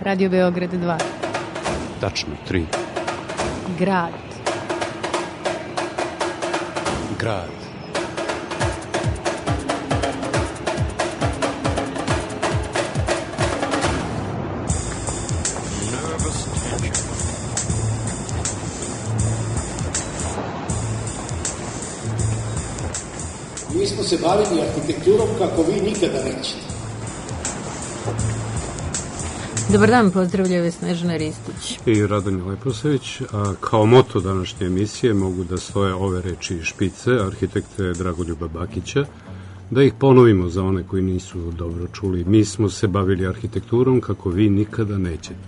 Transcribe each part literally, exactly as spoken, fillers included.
Radio Beograd dva. Tačno, tri. Grad. Grad. Mi smo se bavili arhitekturom kako vi nikada nećete. Dobar dan, pozdravljaju Snežana Ristić i Radomir Leposavić. A kao moto današnje emisije mogu da stoje ove reči špice arhitekte Dragoljuba Bakića. Da ih ponovimo za one koji nisu dobro čuli. Mi smo se bavili arhitekturom kako vi nikada nećete.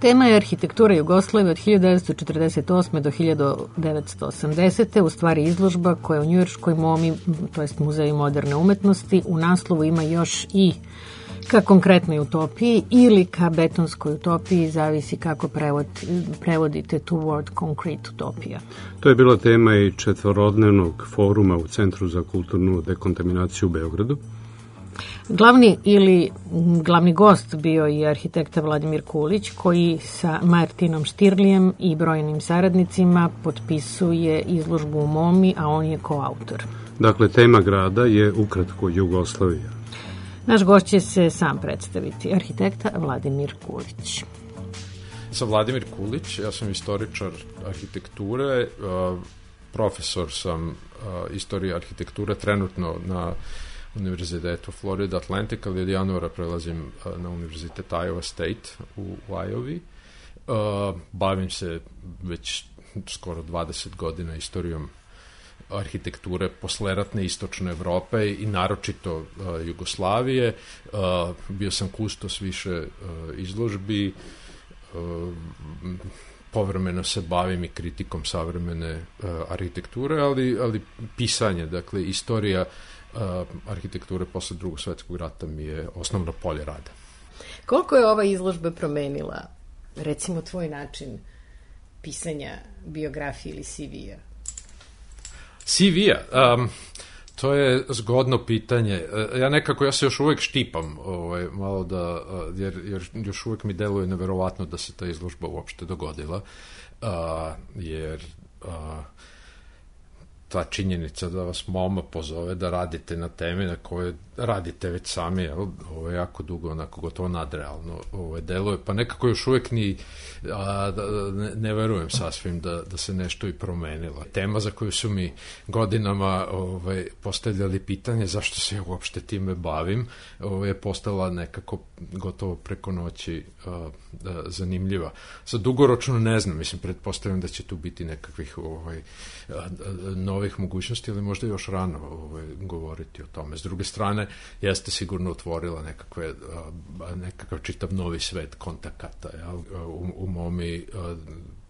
Tema je arhitektura Jugoslavije od hiljadu devetsto četrdeset osme do hiljadu devetsto osamdesete. U stvari izložba koja u njujorškoj MoMI, to jest Muzeju moderne umetnosti, u naslovu ima još i ka konkretnoj utopiji ili ka betonskoj utopiji, zavisi kako prevod, prevodite tu word concrete utopija. To je bila tema i četvorodnevnog foruma u Centru za kulturnu dekontaminaciju u Beogradu. Glavni ili glavni gost bio je arhitekta Vladimir Kulić, koji sa Martinom Štirlijem i brojnim saradnicima potpisuje izložbu u MoMI, a on je koautor. Dakle, tema grada je ukratko Jugoslavija. Naš gost će se sam predstaviti, arhitekta Vladimir Kulić. Sam Vladimir Kulić, ja sam istoričar arhitekture, profesor sam istorije arhitekture trenutno na Univerzitetu Florida Atlantic, ali od januara prelazim na Univerzitet Iowa State u, u Iowa. Bavim se već skoro dvadeset godina istorijom arhitekture posleratne istočne Evrope i naročito uh, Jugoslavije. Uh, bio sam kustos više uh, izložbi. Uh, povremeno se bavim i kritikom savremene uh, arhitekture, ali, ali pisanje, dakle, istorija uh, arhitekture posle Drugog svetskog rata mi je osnovno polje rada. Koliko je ova izložba promenila, recimo, tvoj način pisanja biografije ili C V-a? C V-a, um, to je zgodno pitanje. Ja nekako, ja se još uvek štipam, ovaj, malo da, jer, jer još uvek mi deluje neverovatno da se ta izložba uopšte dogodila, uh, jer uh, ta činjenica da vas MoMA pozove da radite na temi na kojoj radite već sami, jel, ovo je jako dugo, onako gotovo nadrealno ovo deluje, pa nekako još uvek ni a, da, ne, ne verujem sasvim da, da se nešto i promenilo. Tema za koju su mi godinama ovaj, postavljali pitanje zašto se ja uopšte time bavim, ovaj, je postala nekako gotovo preko noći a, a, zanimljiva. Sad dugoročno ne znam, mislim, pretpostavljam da će tu biti nekakvih ovaj, a, a, novih mogućnosti, ali možda još rano ovaj, govoriti o tome. S druge strane, jeste sigurno otvorila nekakve, nekakav čitav novi svet kontakata. Ja? U, u MoMI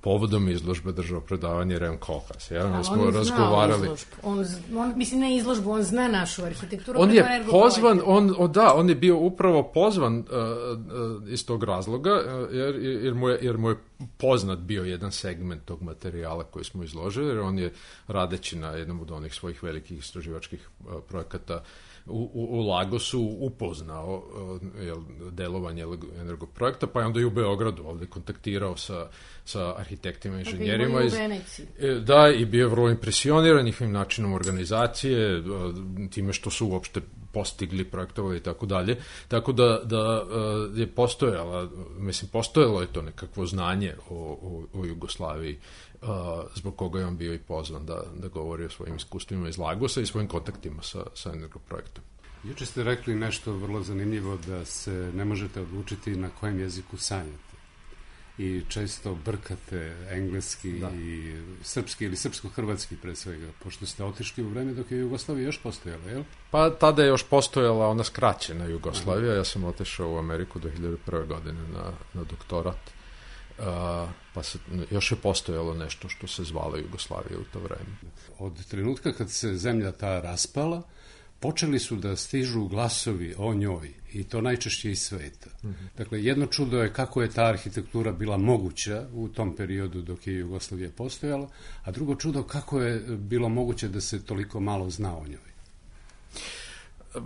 povodom izložbe držao predavanje Rem Koolhaas. Ja? Da, smo on razgovarali. On, on, mislim, ne izložbu, on zna našu arhitekturu. On je pozvan, on, o, da, on je bio upravo pozvan uh, uh, iz tog razloga, uh, jer, jer, mu je, jer mu je poznat bio jedan segment tog materijala koji smo izložili, jer on je radeći na jednom od onih svojih velikih istraživačkih uh, projekata U, u, u Lagosu upoznao uh, jel, delovanje energoprojekta, pa je onda i u Beogradu ovde kontaktirao sa, sa arhitektima i inženjerima. Iz, da, i bio je vrlo impresioniran njihovim načinom organizacije, uh, time što su uopšte postigli, projektovali i tako dalje. Tako da, da uh, je postojala, mislim, postojalo je to nekakvo znanje o, o, o Jugoslaviji, Uh, zbog koga je on bio i pozvan da, da govori o svojim iskustvima iz Lagosa i svojim kontaktima sa, sa energoprojektom. Juče ste rekli nešto vrlo zanimljivo, da se ne možete odlučiti na kojem jeziku sanjate. I često brkate engleski da. i srpski ili srpsko-hrvatski pre svega, pošto ste otišli u vreme dok je Jugoslavija još postojala, jel? Pa tada je još postojala ona skraćena Jugoslavija. Ja sam otišao u Ameriku do hiljadu prve godine na, na doktorat. Uh, pa se, još je postojalo nešto što se zvalo Jugoslavija u to vreme. Od trenutka kad se zemlja ta raspala, počeli su da stižu glasovi o njoj, i to najčešće iz sveta. Mm-hmm. Dakle, jedno čudo je kako je ta arhitektura bila moguća u tom periodu dok je Jugoslavija postojala, a drugo čudo kako je bilo moguće da se toliko malo zna o njoj.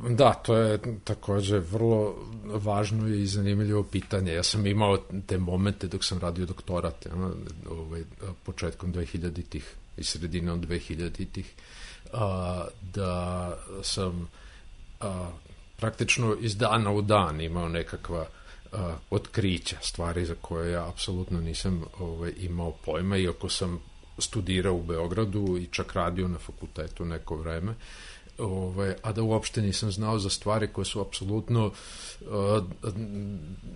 Da, to je takođe vrlo važno i zanimljivo pitanje. Ja sam imao te momente dok sam radio doktorat, ja, ovaj, početkom dvehiljaditih i sredinom dvehiljaditih, a, da sam a, praktično iz dana u dan imao nekakva a, otkrića, stvari za koje ja apsolutno nisam ovaj, imao pojma, iako sam studirao u Beogradu i čak radio na fakultetu neko vreme, Ove, a da uopšte nisam znao za stvari koje su apsolutno uh,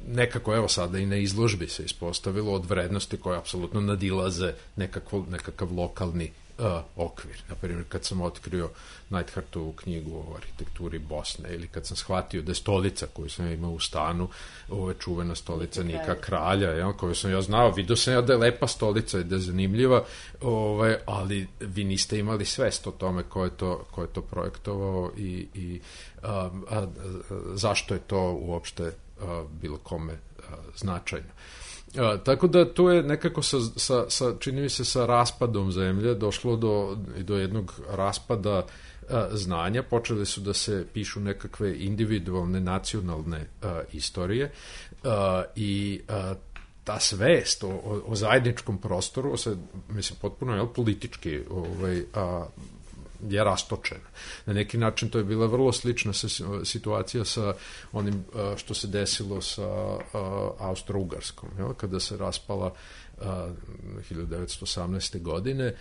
nekako, evo sada i na izložbi se ispostavilo, od vrednosti koje apsolutno nadilaze nekakav, nekakav lokalni uh, okvir. Naprimjer, kad sam otkrio Neidhartovu knjigu o arhitekturi Bosne, ili kad sam shvatio da je stolica koju sam imao u stanu, ove čuvena stolica Nika Kralja, ja, koju sam ja znao, vidio sam ja da je lepa stolica i da je zanimljiva, ove, ali vi niste imali svest o tome ko je to, ko je to projektovao i, i a, a, a, zašto je to uopšte a, bilo kome a, značajno. A, tako da to je nekako sa, sa, sa, čini mi se sa raspadom zemlje došlo do, do jednog raspada a, znanja, počeli su da se pišu nekakve individualne nacionalne a, istorije a, i a, ta svest o, o, o zajedničkom prostoru se, mislim, potpuno je politički ovaj, a, je rastočena. Na neki način to je bila vrlo slična situacija sa onim što se desilo sa Austro-Ugarskom, jel? Kada se raspala hiljadu devetsto osamnaeste. godine,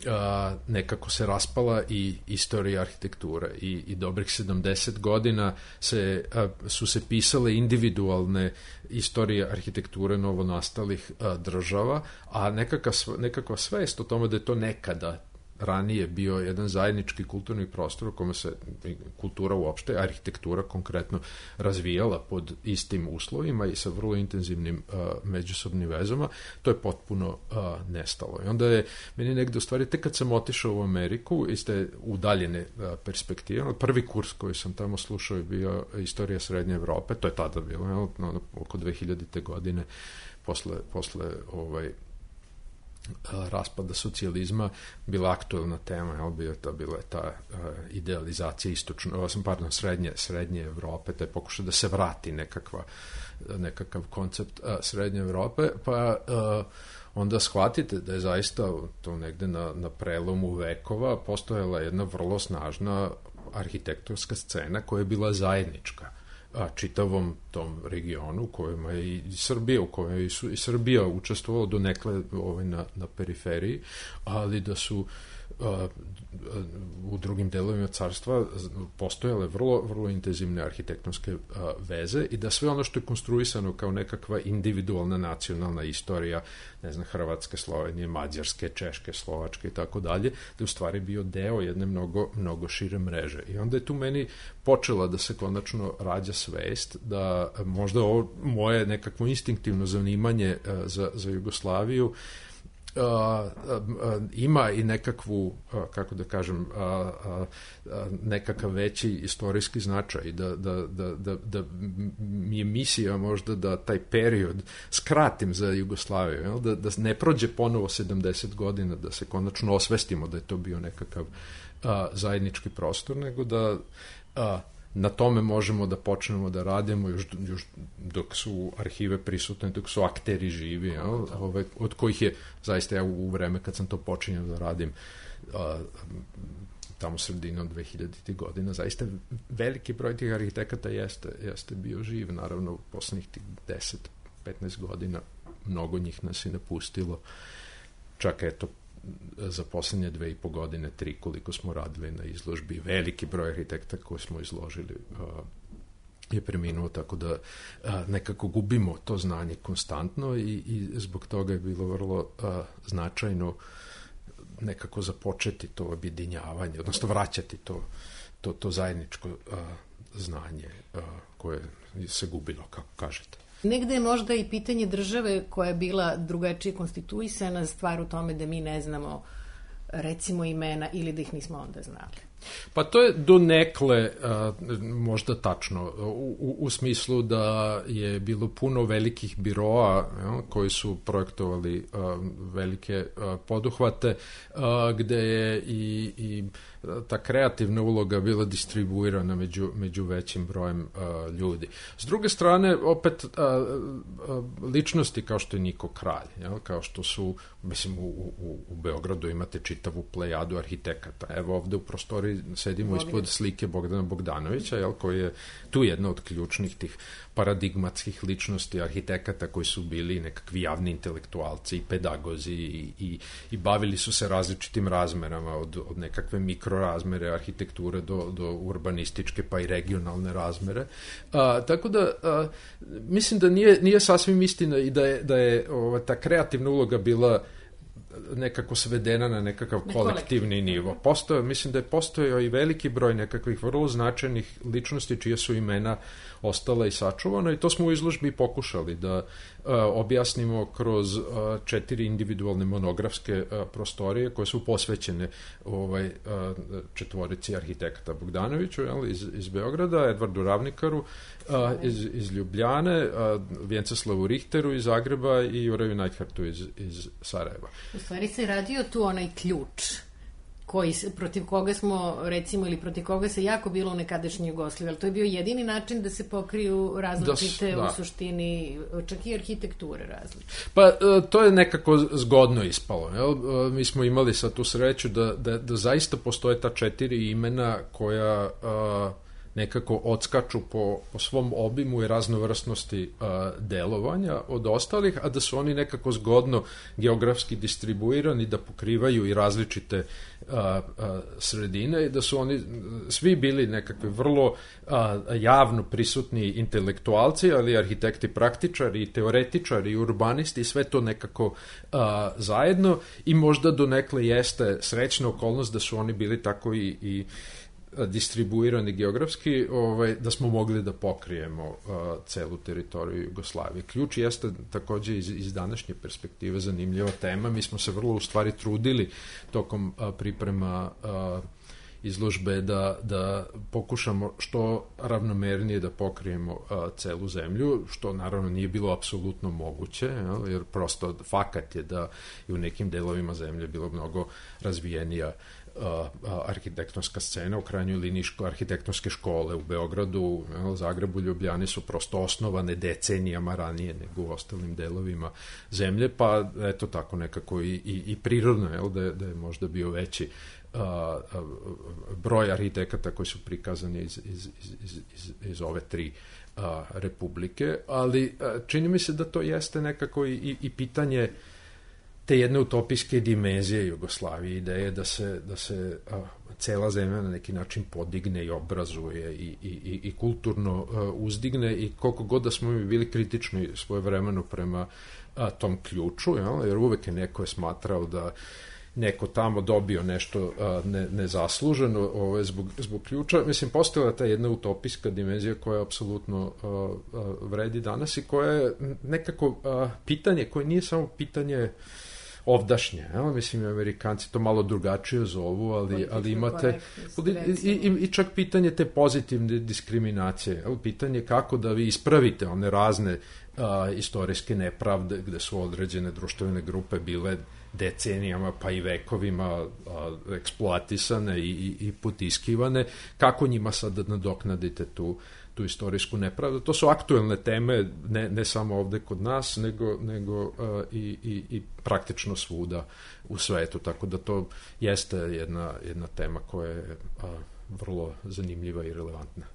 a, nekako se raspala i istorija arhitekture i, i dobrih sedamdeset godina se, a, su se pisale individualne istorije arhitekture novonastalih a, država, a nekakva, nekakva svest o tome da je to nekada ranije bio jedan zajednički kulturni prostor u kome se kultura uopšte, arhitektura konkretno, razvijala pod istim uslovima i sa vrlo intenzivnim uh, međusobnim vezama, to je potpuno uh, nestalo. I onda je meni negde u stvari, tek kad sam otišao u Ameriku iz te udaljene uh, perspektive, prvi kurs koji sam tamo slušao je bio istorija Srednje Evrope, to je tada bilo, jel, no, oko dve hiljadite. godine, posle, posle ovaj, raspada socijalizma, bila aktuelna tema, jel, bila, ta, bila je ta uh, idealizacija istočno, pardon, srednje, srednje Evrope, taj pokušaj da se vrati nekakva, nekakav koncept uh, Srednje Evrope, pa uh, onda shvatite da je zaista to negde na, na prelomu vekova postojala jedna vrlo snažna arhitektonska scena koja je bila zajednička a, čitavom tom regionu u kojem je i Srbija, u kojem je i Srbija učestvovala do nekle ovaj, na, na periferiji, ali da su a, u drugim delovima carstva postojale vrlo, vrlo intenzivne arhitektonske a, veze i da sve ono što je konstruisano kao nekakva individualna nacionalna istorija, ne znam, Hrvatske, Slovenije, Mađarske, Češke, Slovačke i tako dalje, da je u stvari bio deo jedne mnogo, mnogo šire mreže. I onda je tu meni počela da se konačno rađa svest da možda ovo moje nekakvo instinktivno zanimanje a, za, za Jugoslaviju Uh, uh, uh, ima i nekakvu, uh, kako da kažem, uh, uh, uh, nekakav veći istorijski značaj, da, da, da, da, da mi je misija možda da taj period skratim za Jugoslaviju, jel? Da, da ne prođe ponovo sedamdeset godina, da se konačno osvestimo da je to bio nekakav uh, zajednički prostor, nego da uh, na tome možemo da počnemo da radimo još, još dok su arhive prisutne, dok su akteri živi, ja, ove, od kojih je zaista ja u vreme kad sam to počinjao da radim a, tamo sredinom dve hiljaditih. godina, zaista veliki broj tih arhitekata jeste, jeste bio živ, naravno u poslednjih tih deset petnaest godina mnogo njih nas je napustilo, čak eto za poslednje dve i po godine, tri, koliko smo radili na izložbi, veliki broj arhitekta koje smo izložili uh, je preminuo, tako da uh, nekako gubimo to znanje konstantno i, i zbog toga je bilo vrlo uh, značajno nekako započeti to objedinjavanje, odnosno vraćati to, to, to zajedničko uh, znanje uh, koje se gubilo, kako kažete. Negde je možda i pitanje države koja je bila drugačije konstituisana, stvar u tome da mi ne znamo recimo imena ili da ih nismo onda znali. Pa to je donekle a, možda tačno, u, u, u smislu da je bilo puno velikih biroa ja, koji su projektovali a, velike a, poduhvate, a, gde je i, i ta kreativna uloga bila distribuirana među, među većim brojem a, ljudi. S druge strane, opet a, a, ličnosti kao što je Niko Kralj, ja, kao što su, mislim, u, u, u Beogradu imate čitavu plejadu arhitekata. Evo ovde u prostoriji sedimo ispod slike Bogdana Bogdanovića, jel, koji je tu jedna od ključnih tih paradigmatskih ličnosti arhitekata koji su bili nekakvi javni intelektualci i pedagozi i, i, i bavili su se različitim razmerama, od, od nekakve mikrorazmere arhitekture do, do urbanističke pa i regionalne razmere. A, tako da a, mislim da nije, nije sasvim istina i da je, da je ova, ta kreativna uloga bila nekako svedena na nekakav kolektivni nivo. Postoje, mislim da je postojao i veliki broj nekakvih vrlo značajnih ličnosti čije su imena ostala i sačuvana i to smo u izložbi pokušali da a, objasnimo kroz a, četiri individualne monografske a, prostorije koje su posvećene ovaj, a, četvorici arhitekata Bogdanoviću jel, iz, iz Beograda, Edvardu Ravnikaru a, iz, iz Ljubljane, a, Vjenceslavu Richteru iz Zagreba i Juraju Neidhartu iz, iz Sarajeva. U stvari se radio tu onaj ključ koji, protiv koga smo, recimo, ili protiv koga se jako bilo u nekadašnjoj Jugoslaviji, ali to je bio jedini način da se pokriju različite, da, da. u suštini, čak i arhitekture različite. Pa, to je nekako zgodno ispalo. Jel? Mi smo imali sad tu sreću da, da, da zaista postoje ta četiri imena koja a, nekako odskaču po, po svom obimu i raznovrsnosti a, delovanja od ostalih, a da su oni nekako zgodno geografski distribuirani, da pokrivaju i različite a, a, sredine i da su oni svi bili nekakvi vrlo a, javno prisutni intelektualci, ali arhitekti praktičari, teoretičari, urbanisti, sve to nekako a, zajedno i možda donekle jeste srećna okolnost da su oni bili tako i, i distribuirani geografski, ovaj, da smo mogli da pokrijemo uh, celu teritoriju Jugoslavije. Ključ jeste takođe iz, iz današnje perspektive zanimljiva tema. Mi smo se vrlo u stvari trudili tokom uh, priprema uh, izložbe da, da pokušamo što ravnomernije da pokrijemo uh, celu zemlju, što naravno nije bilo apsolutno moguće, jel, jer prosto fakat je da i u nekim delovima zemlje bilo mnogo razvijenija Uh, arhitektonska scena, u krajnjoj liniji ško, arhitektonske škole u Beogradu, u Zagrebu, Ljubljani su prosto osnovane decenijama ranije nego u ostalim delovima zemlje, pa eto tako nekako i, i, i prirodno jel, da, je, da je možda bio veći uh, uh, broj arhitekata koji su prikazani iz, iz, iz, iz, iz ove tri uh, republike, ali uh, čini mi se da to jeste nekako i, i, i pitanje te jedne utopijske dimenzije Jugoslavije, ideje da se, da se a, cela zemlja na neki način podigne i obrazuje i, i, i kulturno a, uzdigne i koliko god da smo mi bili kritični svojevremeno prema a, tom ključu, jel? Jer uvek je neko je smatrao da neko tamo dobio nešto a, ne, nezasluženo ovaj, zbog, zbog ključa. Mislim, postojala ta jedna utopijska dimenzija koja apsolutno a, a, vredi danas i koja je nekako a, pitanje koje nije samo pitanje ovdašnje, evo, mislim, Amerikanci to malo drugačije zovu, ali, ali imate i, i, i čak pitanje te pozitivne diskriminacije, evo, pitanje kako da vi ispravite one razne a, istorijske nepravde gde su određene društvene grupe bile decenijama pa i vekovima a, eksploatisane i, i, i potiskivane, kako njima sad da nadoknadite tu tu istorijsku nepravdu. To su aktuelne teme, ne, ne samo ovde kod nas, nego, nego uh, i, i, i praktično svuda u svetu, tako da to jeste jedna, jedna tema koja je uh, vrlo zanimljiva i relevantna.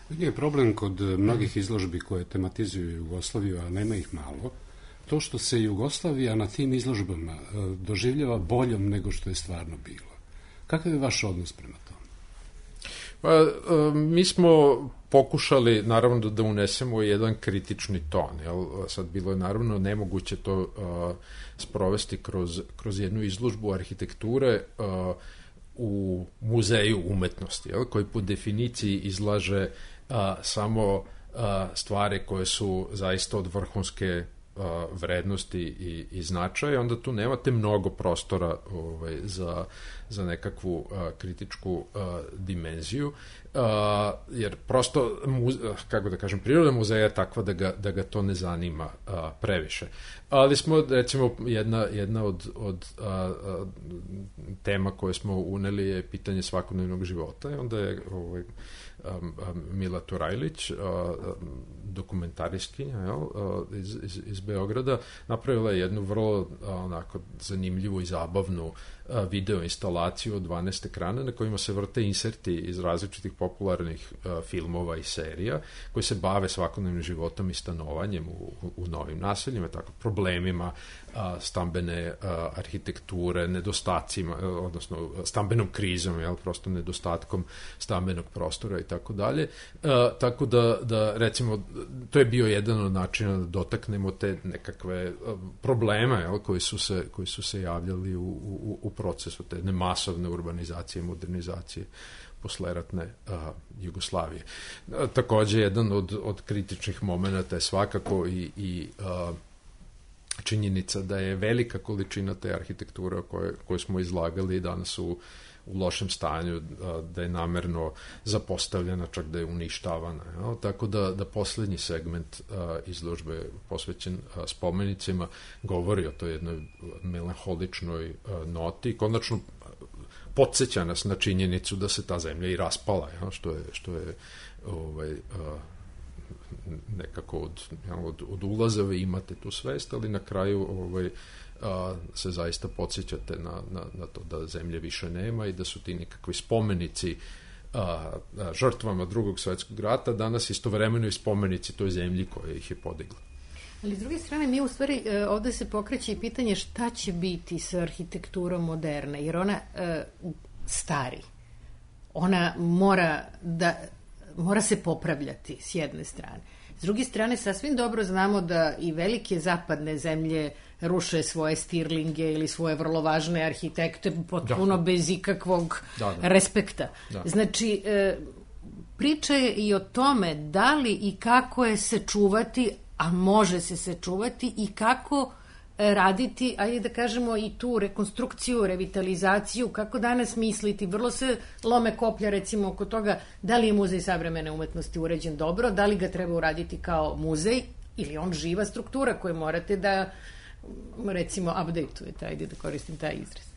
Je problem kod mnogih izložbi koje tematizuju Jugoslaviju, a nema ih malo, to što se Jugoslavija na tim izložbama uh, doživljava boljom nego što je stvarno bilo. Kakav je vaš odnos prema tome? Pa, mi smo pokušali, naravno, da, da unesemo jedan kritični ton. Jel? Sad bilo je, naravno, nemoguće to uh, sprovesti kroz, kroz jednu izložbu arhitekture uh, u muzeju umetnosti, jel? Koji po definiciji izlaže uh, samo uh, stvari koje su zaista od vrhunske a, vrednosti i, i značaja, onda tu nemate mnogo prostora ovaj, za, za nekakvu a, kritičku a, dimenziju, a, jer prosto, muze, kako da kažem, priroda muzeja je takva da ga, da ga to ne zanima a, previše. Ali smo, recimo, jedna, jedna od, od a, a, tema koje smo uneli je pitanje svakodnevnog života, i onda je ovaj, Um, um, Mila Turajlić, uh, dokumentarijskinja uh, iz, iz, iz Beograda, napravila je jednu vrlo uh, onako zanimljivu i zabavnu uh, video instalaciju od dvanaest ekrana na kojima se vrte inserti iz različitih popularnih uh, filmova i serija koji se bave svakodnevnim životom i stanovanjem u, u, u novim naseljima, tako problemima uh, stambene uh, arhitekture, nedostacima, uh, odnosno stambenom krizom, jel, prosto nedostatkom stambenog prostora i tako dalje. Tako da, da, recimo, to je bio jedan od načina da dotaknemo te nekakve probleme, jel, koji su se, koji su se javljali u, u, u procesu te nemasovne urbanizacije, modernizacije posleratne a, Jugoslavije. A, takođe, jedan od, od kritičnih momenta je svakako i, i a, činjenica da je velika količina te arhitekture koje, koje smo izlagali danas u u lošem stanju, da je namerno zapostavljena, čak da je uništavana. Ja? Tako da, da poslednji segment a, izložbe posvećen a, spomenicima govori o toj jednoj melanholičnoj a, noti. Konačno podsjeća nas na činjenicu da se ta zemlja i raspala, ja? što je, što je ovaj, a, nekako od, ja, od, od ulaza vi imate tu svest, ali na kraju ovaj, a, se zaista podsjećate na, na, na to da zemlje više nema i da su ti nekakvi spomenici a, a, žrtvama drugog svetskog rata danas istovremeno i spomenici toj zemlji koja ih je podigla. Ali s druge strane, mi u stvari ovde se pokreće i pitanje šta će biti sa arhitekturom moderne, jer ona e, stari. Ona mora da mora se popravljati s jedne strane. S druge strane, sasvim dobro znamo da i velike zapadne zemlje ruše svoje stirlinge ili svoje vrlo važne arhitekte potpuno da. bez ikakvog da, da. respekta. Da. Znači, e, priča je i o tome da li i kako je se čuvati, a može se se čuvati, i kako raditi, ajde da kažemo, i tu rekonstrukciju, revitalizaciju, kako danas misliti. Vrlo se lome koplja, recimo, oko toga da li je muzej savremene umetnosti uređen dobro, da li ga treba uraditi kao muzej, ili on živa struktura koju morate da, recimo, update-ujete, ajde da koristim taj izraz.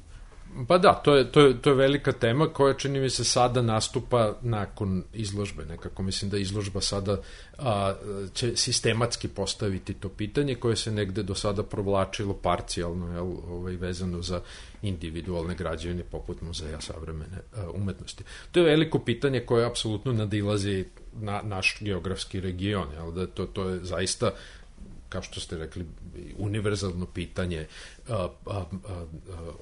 Pa da, to je, to, je, to je velika tema koja, čini mi se, sada nastupa nakon izložbe. Nekako mislim da izložba sada a, će sistematski postaviti to pitanje koje se negde do sada provlačilo parcijalno, jel, ovaj, vezano za individualne građevine poput muzeja savremene a, umetnosti. To je veliko pitanje koje apsolutno nadilazi na naš geografski region, jel, da to, to je zaista, kao što ste rekli, univerzalno pitanje a, a, a,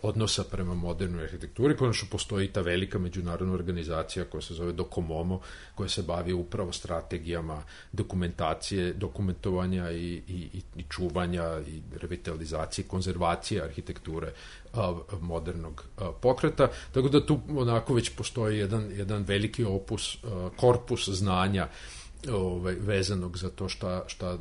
odnosa prema modernoj arhitekturi. Konačno postoji ta velika međunarodna organizacija koja se zove Docomomo, koja se bavi upravo strategijama dokumentacije, dokumentovanja i, i, i čuvanja i revitalizacije, konzervacije arhitekture a, modernog a, pokreta. Tako da tu onako već postoji jedan, jedan veliki opus, a, korpus znanja Ovaj, vezanog za to šta, šta,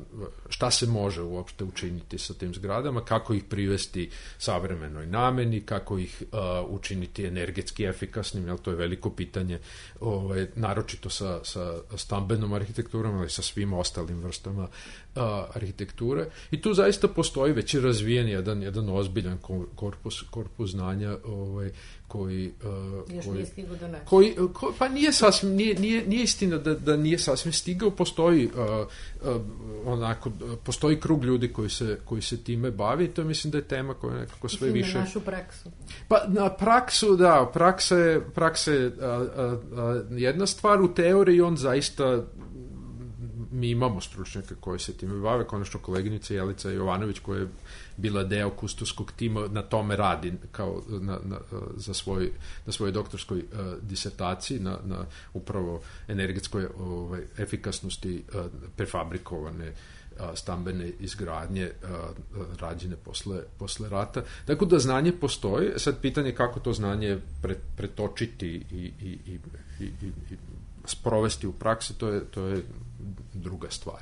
šta se može uopšte učiniti sa tim zgradama, kako ih privesti savremenoj nameni, kako ih uh, učiniti energetski efikasnim, jer to je veliko pitanje, ovaj, naročito sa, sa stambenom arhitekturom, ali sa svim ostalim vrstama uh, arhitekture. I tu zaista postoji već i razvijen jedan, jedan ozbiljan korpus, korpus znanja ovaj, koji... Uh, Još koji, nije stigao do nas. Koji, ko, pa nije sasvim, nije, nije, nije istina da, da nije sasvim stigao, postoji uh, uh, onako, postoji krug ljudi koji se, koji se time bavi i to mislim da je tema koja nekako sve mislim više... na našu praksu. Pa na praksu, da, praksa je, praksa je a, a, a, jedna stvar, u teoriji on zaista, mi imamo stručnjaka koji se time bave, konačno koleginica Jelica Jovanović koja je bila deo kustoskog tima, na tome radi kao na, na, za svoj, na svojoj doktorskoj uh, disertaciji na, na upravo energetskoj ovaj, efikasnosti uh, prefabrikovane uh, stambene izgradnje uh, rađene posle, posle rata. Tako da znanje postoji, sad pitanje kako to znanje pre, pretočiti i, i, i, i, i, i sprovesti u praksi, to je, to je druga stvar.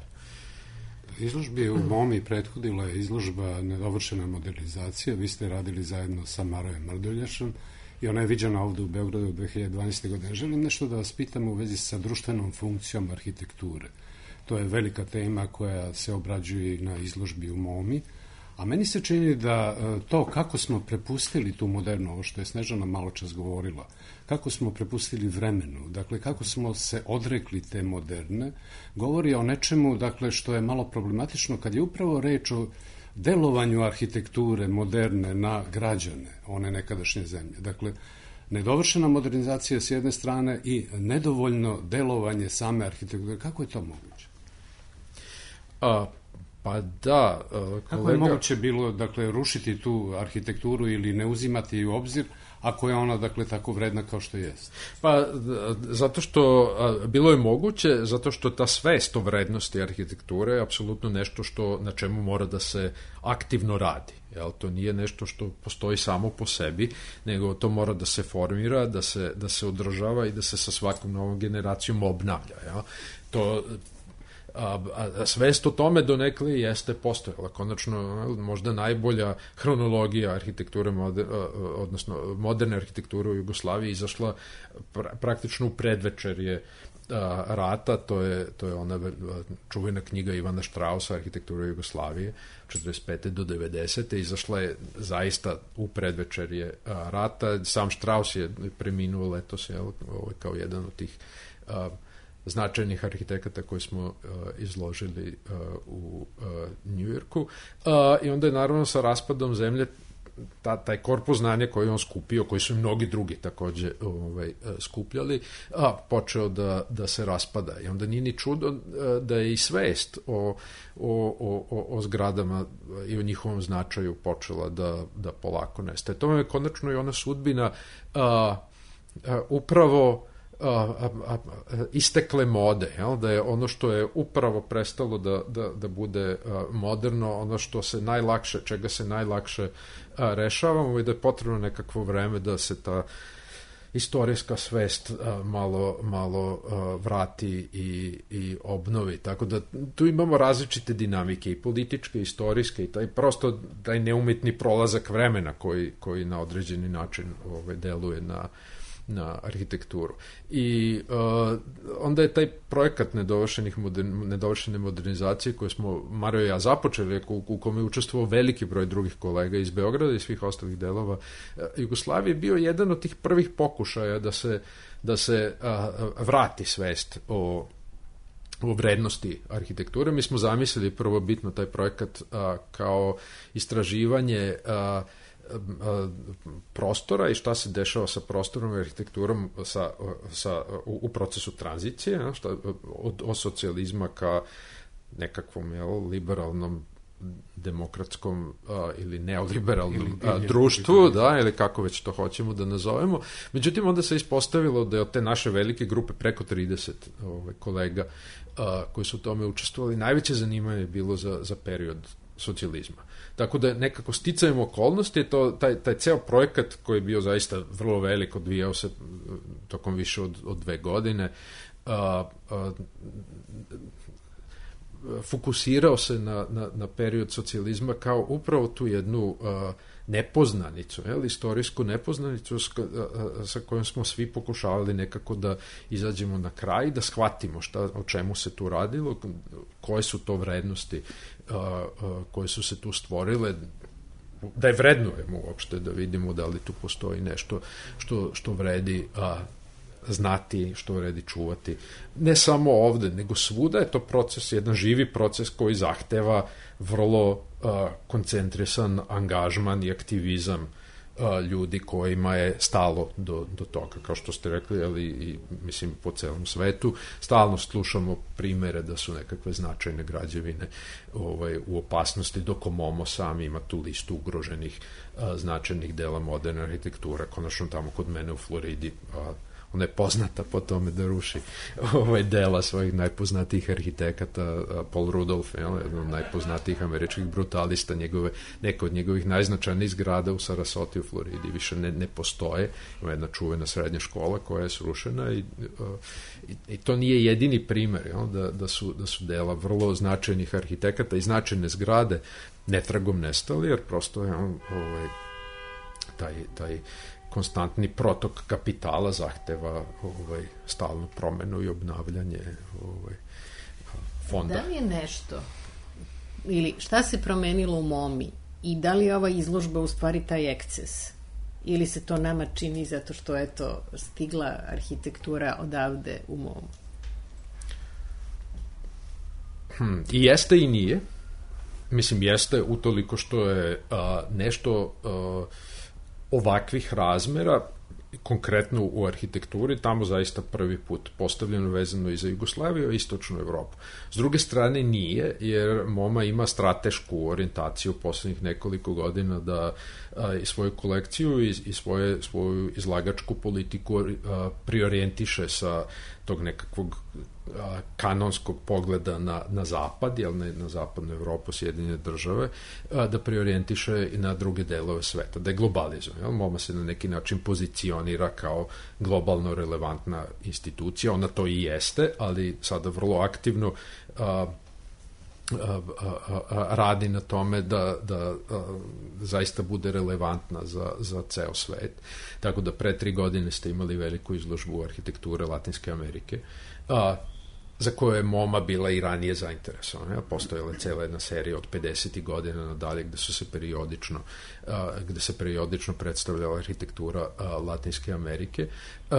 Izložbi u Momi prethodila je izložba Nedovršena modernizacija. Vi ste radili zajedno sa Marojem Mrduljašom i ona je viđena ovde u Beogradu u dve hiljade dvanaeste. godine. Želim nešto da vas pitam u vezi sa društvenom funkcijom arhitekture. To je velika tema koja se obrađuje na izložbi u Momi, a meni se čini da to kako smo prepustili tu modernu, ovo što je Snežana malo čas govorila, kako smo prepustili vremenu, dakle kako smo se odrekli te moderne, govori o nečemu, dakle, što je malo problematično kad je upravo reč o delovanju arhitekture moderne na građane one nekadašnje zemlje. Dakle, nedovršena modernizacija s jedne strane i nedovoljno delovanje same arhitekture. Kako je to moguće? A, pa da, kolega... Kako je moguće bilo, dakle, rušiti tu arhitekturu ili ne uzimati u obzir, ako je ona, dakle, tako vredna kao što jest? Pa, zato što, a, bilo je moguće, zato što ta svest o vrednosti arhitekture je apsolutno nešto što, na čemu mora da se aktivno radi. Jel? To nije nešto što postoji samo po sebi, nego to mora da se formira, da se, da se održava i da se sa svakom novom generacijom obnavlja. Jel? To... A, a svest o tome donekle jeste postojala. Konačno, možda najbolja hronologija arhitekture, moder, odnosno moderne arhitekture u Jugoslaviji izašla pra, praktično u predvečerje a, rata, to je, to je ona čuvena knjiga Ivana Štrausa, Arhitektura Jugoslavije, četrdeset pete do devedesete. Izašla je zaista u predvečerje a, rata. Sam Štraus je preminuo letos, je, ovo je kao jedan od tih a, značajnih arhitekata koji smo uh, izložili uh, u uh, Njujorku. Uh, I onda je naravno sa raspadom zemlje ta, taj korpus znanja koji on skupio, koji su i mnogi drugi takođe ovaj, skupljali, a, počeo da, da se raspada. I onda nije ni čudo uh, da je i svest o, o, o, o zgradama i o njihovom značaju počela da, da polako nestaje. To je konačno i ona sudbina uh, uh, upravo A, a, a, istekle mode, jel? Da je ono što je upravo prestalo da, da, da bude a, moderno, ono što se najlakše, čega se najlakše a, rešavamo i da je potrebno nekakvo vreme da se ta istorijska svest a, malo, malo a, vrati i, i obnovi. Tako da tu imamo različite dinamike i političke, i istorijske i taj prosto taj neumitni prolazak vremena koji, koji na određeni način ovaj, deluje na na arhitekturu. I uh, onda je taj projekat nedovršenih modern, nedovršene modernizacije koje smo Mario i ja započeli, u, u kome je učestvovao veliki broj drugih kolega iz Beograda i svih ostalih delova uh, Jugoslavije, bio jedan od tih prvih pokušaja da se, da se uh, vrati svest o o vrednosti arhitekture. Mi smo zamislili prvobitno taj projekat uh, kao istraživanje uh, prostora i šta se dešava sa prostorom i arhitekturom sa, sa, u, u procesu tranzicije, ja, šta, od, od socijalizma ka nekakvom jel, liberalnom demokratskom a, ili neoliberalnom a, društvu, da, ili kako već to hoćemo da nazovemo. Međutim, onda se ispostavilo da je od te naše velike grupe preko trideset ove, kolega a, koji su u tome učestvovali, najveće zanimanje je bilo za, za period socijalizma. Tako da nekako sticajem okolnosti, to, taj, taj ceo projekat koji je bio zaista vrlo velik, odvijao se tokom više od, od dve godine, a, a, fokusirao se na, na, na period socijalizma kao upravo tu jednu a, nepoznanicu, jel, istorijsku nepoznanicu s, a, sa kojom smo svi pokušavali nekako da izađemo na kraj, da shvatimo šta, o čemu se tu radilo, koje su to vrednosti a, a, koje su se tu stvorile, da je vrednujemo uopšte, da vidimo da li tu postoji nešto što, što vredi a, znati, što vredi čuvati. Ne samo ovde, nego svuda je to proces, jedan živi proces koji zahteva vrlo uh, koncentrisan angažman i aktivizam uh, ljudi kojima je stalo do, do toga. Kao što ste rekli, ali i, mislim, po celom svetu, stalno slušamo primere da su nekakve značajne građevine ovaj, u opasnosti, dok Momo sam ima tu listu ugroženih uh, značajnih dela moderne arhitekture. Konačno tamo kod mene u Floridi uh, ona je poznata po tome da ruši ovaj dela svojih najpoznatijih arhitekata, Paul Rudolph, jel, jedan od najpoznatijih američkih brutalista, njegove, neka od njegovih najznačajnijih zgrada u Sarasoti u Floridi više ne, ne postoje. Ima jedna čuvena srednja škola koja je srušena i, i, i to nije jedini primer, jel, da, da, su, da su dela vrlo značajnih arhitekata i značajne zgrade netragom nestali, jer prosto je ovaj, taj, taj konstantni protok kapitala zahteva ovaj, stalnu promenu i obnavljanje ovaj, fonda. Da li je nešto, ili šta se promenilo u MoMI i da li je ova izložba u stvari taj eksces? Ili se to nama čini zato što je to stigla arhitektura odavde u MoMU? Hmm, I jeste i nije. Mislim, jeste utoliko što je a, nešto a, ovakvih razmera, konkretno u arhitekturi, tamo zaista prvi put postavljeno vezano i za Jugoslaviju i istočnu Evropu. S druge strane nije, jer MoMA ima stratešku orijentaciju poslednjih nekoliko godina da a, i svoju kolekciju i, i svoje, svoju izlagačku politiku a, priorijentiše sa tog nekakvog a, kanonskog pogleda na, na zapad, jel ne na zapadnu Evropu, Sjedinjene države, a, da priorijentiše i na druge delove sveta, da je globalizuje. Jel? MoMA se na neki način pozicionira kao globalno relevantna institucija, ona to i jeste, ali sada vrlo aktivno a, A, a, a, radi na tome da, da a, zaista bude relevantna za, za ceo svet. Tako da pre tri godine ste imali veliku izložbu arhitekture Latinske Amerike, a, za koje je MoMA bila i ranije zainteresovana. Postojala je cela jedna serija od pedesetih godina nadalje gde su se periodično a, gde se periodično predstavljala arhitektura a, Latinske Amerike, a,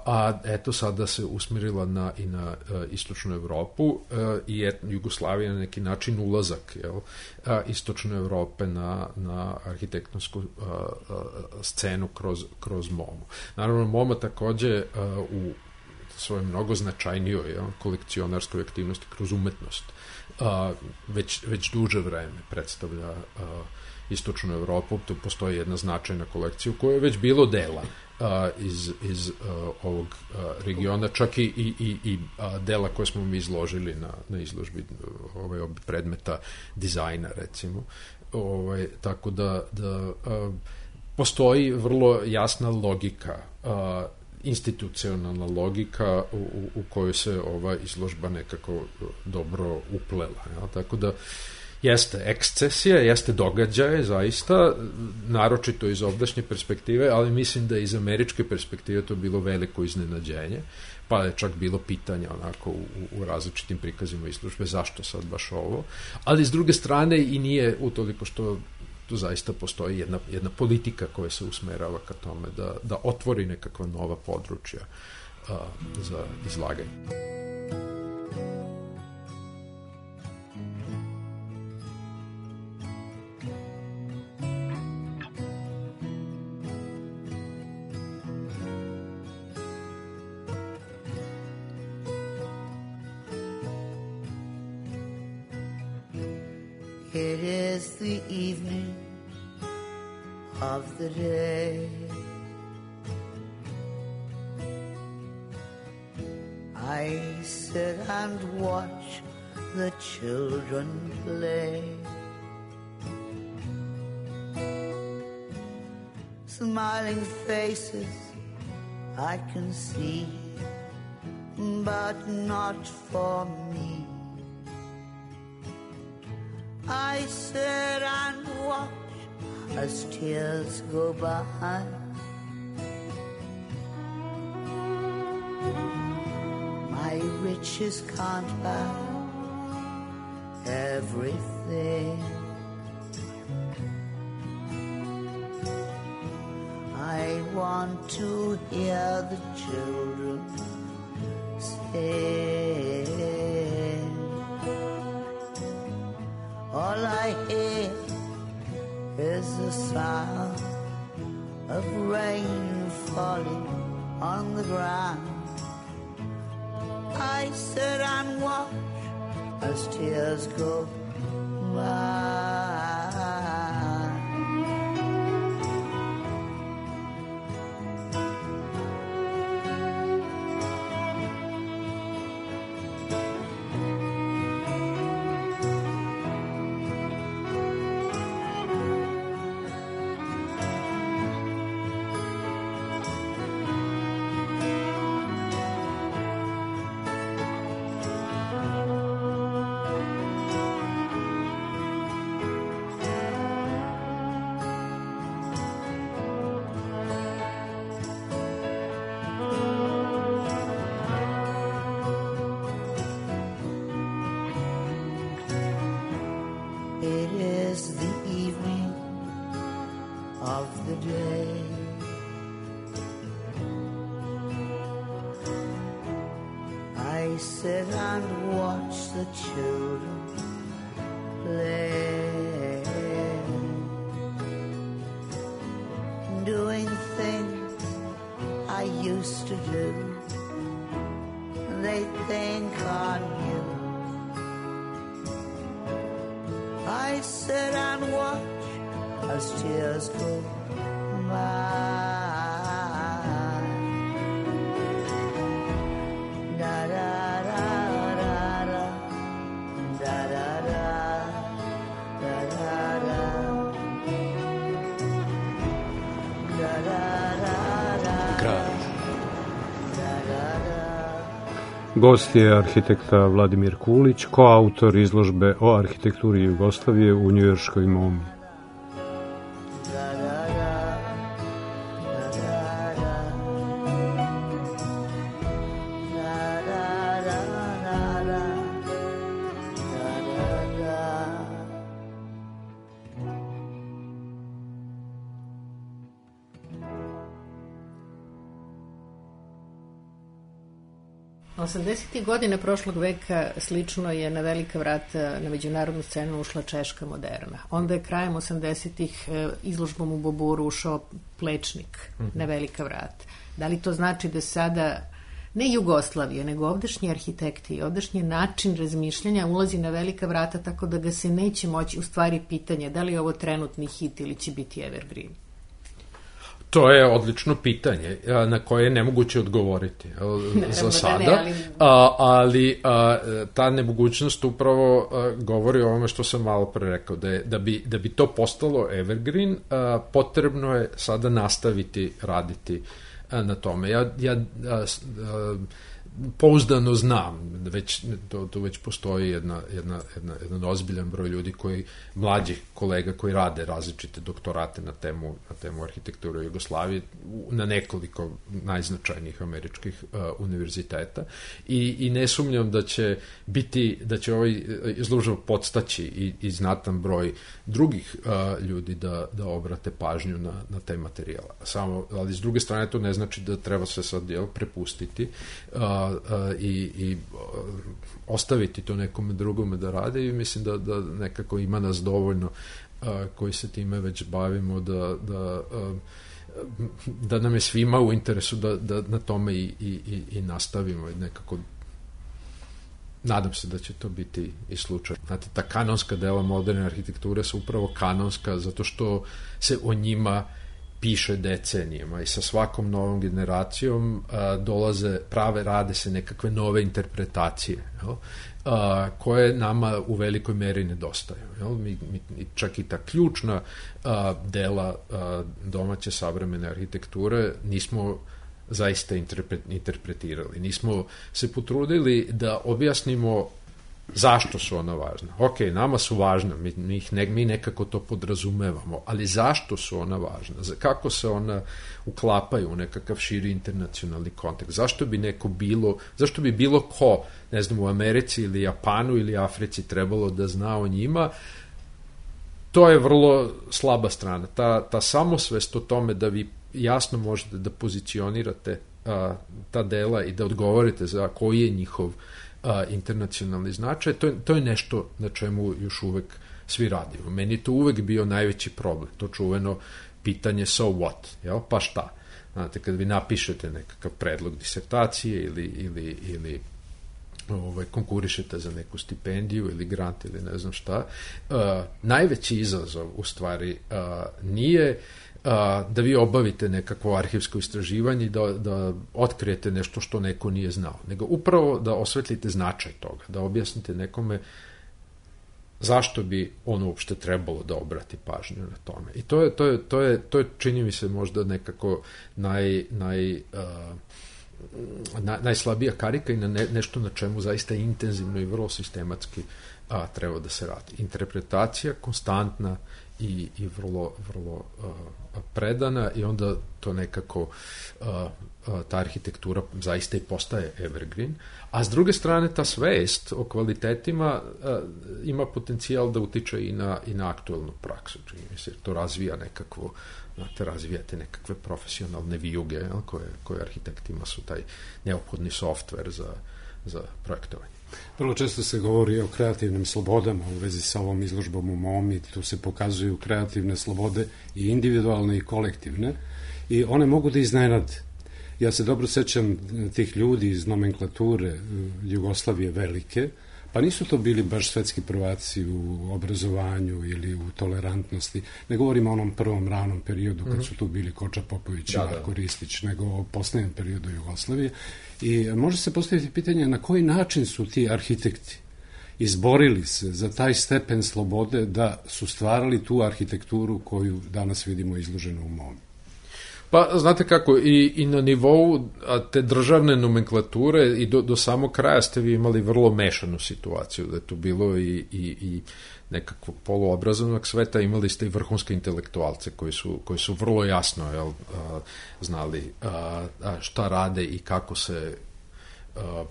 a eto sada se usmerila na, i na a, istočnu Evropu a, i et, Jugoslavija na neki način ulazak, jel, a, istočne Evrope na, na arhitektonsku a, a, scenu kroz, kroz MoMU. Naravno, MoMA takođe a, u svoje mnogo značajnijoj, ja, kolekcionarskoj aktivnosti kroz umetnost a, već, već duže vreme predstavlja a, istočnu Evropu. Tu postoji jedna značajna kolekcija u kojoj je već bilo dela a, iz, iz a, ovog a, regiona, čak i, i, i, i a, dela koje smo mi izložili na, na izložbi ovaj, predmeta dizajna, recimo. Ovaj, tako da, da a, postoji vrlo jasna logika, a, institucionalna logika u, u, u kojoj se ova izložba nekako dobro uplela. Ja? Tako da jeste ekscesija, jeste događaje zaista, naročito iz ovdašnje perspektive, ali mislim da iz američke perspektive to bilo veliko iznenađenje, pa je čak bilo pitanja onako u, u različitim prikazima izložbe zašto sad baš ovo, ali s druge strane i nije utoliko što tu zaista postoji jedna, jedna politika koja se usmerava ka tome da, da otvori nekakva nova područja a, za izlaganje. It is the evening of the day. I sit and watch the children play. Smiling faces I can see, but not for me. I sit and watch as tears go by. My riches can't buy everything. I want to hear the children sing. All I hear is the sound of rain falling on the ground. I sit and watch as tears go by. and watch the children play, doing things I used to do. They think on you. I sit and watch as tears go by. Da da da da da da da da da da da da da Grad. Gost je arhitekta Vladimir Kulić, koautor izložbe o arhitekturi Jugoslavije u njujorškoj MoMI. osamdesetih godina prošlog veka slično je na velika vrata na međunarodnu scenu ušla češka moderna. Onda je krajem osamdesetih izložbom u Boburu ušao Plečnik mm-hmm. na velika vrata. Da li to znači da sada ne Jugoslavija, nego ovdašnji arhitekti i ovdašnji način razmišljanja ulazi na velika vrata tako da ga se neće moći, u stvari pitanje da li je ovo trenutni hit ili će biti evergreen? To je odlično pitanje na koje je nemoguće odgovoriti za sada, da ne, ali, a, ali a, ta nemogućnost upravo a, govori o ovome što sam malo pre rekao, da, je, da, bi, da bi to postalo evergreen, a, potrebno je sada nastaviti raditi a, na tome. Ja, ja a, a, pouzdano znam, već, to, to već postoji jedna, jedna, jedna, jedan ozbiljan broj ljudi koji, mlađih kolega koji rade različite doktorate na temu, na temu arhitekture Jugoslavije na nekoliko najznačajnijih američkih uh, univerziteta i, i ne sumnjam da će biti, da će ovaj izložba podstaći i, i znatan broj drugih uh, ljudi da, da obrate pažnju na, na te materijala. Samo, ali s druge strane to ne znači da treba se sad jel, prepustiti uh, i, i ostaviti to nekome drugome da rade i mislim da, da nekako ima nas dovoljno a, koji se time već bavimo da, da, a, da nam je svima u interesu da, da na tome i, i, i nastavimo i nekako nadam se da će to biti i slučaj. Znate, ta kanonska dela moderne arhitekture su upravo kanonska zato što se o njima piše decenijama i sa svakom novom generacijom a, dolaze, prave, rade se nekakve nove interpretacije, jel? A, koje nama u velikoj meri nedostaju. Jel? Mi, mi, čak i ta ključna a, dela a, domaće savremene arhitekture nismo zaista interpre, interpretirali. Nismo se potrudili da objasnimo zašto su ona važna. Ok, nama su važna, mi, mi, ne, mi nekako to podrazumevamo, ali zašto su ona važna? Kako se ona uklapaju u nekakav širi internacionalni kontekst? Zašto bi neko bilo, zašto bi bilo ko, ne znam, u Americi ili Japanu ili Africi trebalo da zna o njima? To je vrlo slaba strana. Ta, ta samosvest o tome da vi jasno možete da pozicionirate a, ta dela i da odgovorite za koji je njihov a, internacionalni značaj, to je, to je nešto na čemu još uvek svi radimo. Meni je to uvek bio najveći problem, to čuveno pitanje so what, jel? Pa šta? Znate, kad vi napišete nekakav predlog disertacije ili, ili, ili ovaj, konkurišete za neku stipendiju ili grant ili ne znam šta, uh, najveći izazov u stvari uh, nije uh, da vi obavite nekakvo arhivsko istraživanje i da, da otkrijete nešto što neko nije znao, nego upravo da osvetlite značaj toga, da objasnite nekome zašto bi ono uopšte trebalo da obrati pažnju na tome. I to je, to je, to je, to je čini mi se možda nekako naj, naj, uh, na, najslabija karika i na ne, nešto na čemu zaista intenzivno i vrlo sistematski a, treba da se radi. Interpretacija konstantna i, i vrlo, vrlo a, predana i onda to nekako a, a, ta arhitektura zaista i postaje evergreen, a s druge strane ta svest o kvalitetima a, ima potencijal da utiče i na, i na aktuelnu praksu. Čini mi se, to razvija nekakvo, znate, razvijate nekakve profesionalne vijuge, jel, koje, koje arhitektima su taj neophodni softver za, za projektovanje. Vrlo često se govori o kreativnim slobodama u vezi sa ovom izložbom u MoMI, tu se pokazuju kreativne slobode i individualne i kolektivne i one mogu da iznenade. Ja se dobro sećam tih ljudi iz nomenklature Jugoslavije velike, pa nisu to bili baš svetski prvaci u obrazovanju ili u tolerantnosti. Ne govorimo o onom prvom ranom periodu kad su tu bili Koča Popović i da, Marko da. Ristić, nego o posljednjem periodu Jugoslavije. I može se postaviti pitanje na koji način su ti arhitekti izborili se za taj stepen slobode da su stvarali tu arhitekturu koju danas vidimo izloženu u MoMI. Pa, znate kako, i, i na nivou te državne nomenklature i do, do samog kraja ste vi imali vrlo mešanu situaciju, da je tu bilo i, i, i nekakvog poluobrazovnog sveta, imali ste i vrhunske intelektualce koji su, koji su vrlo jasno jel, a, znali a, a šta rade i kako se a,